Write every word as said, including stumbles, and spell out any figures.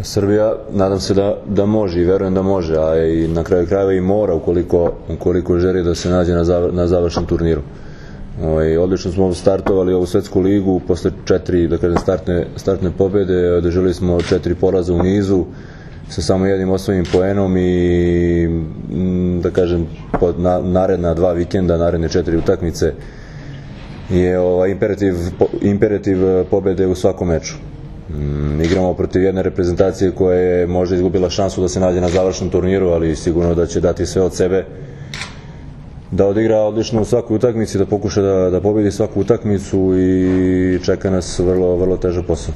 Srbija, nadam se da, da može i verujem da može, a i na kraju krajeva i mora ukoliko, ukoliko želi da se nađe na, zavr, na završnom turniru. Ovaj, odlično smo startovali ovu svetsku ligu posle četiri da kažem, startne, startne pobjede, održali smo četiri poraza u nizu sa samo jednim osvojenim poenom i da kažem pod na, naredna dva vikenda, naredne četiri utakmice je ovaj, imperativ, imperativ pobjede u svakom meču. Mm, igramo protiv jedne reprezentacije koja je možda izgubila šansu da se nađe na završnom turniru, ali sigurno da će dati sve od sebe da odigra odlično u svakoj utakmici, da pokuša da, da pobedi svaku utakmicu i čeka nas vrlo, vrlo težak posao.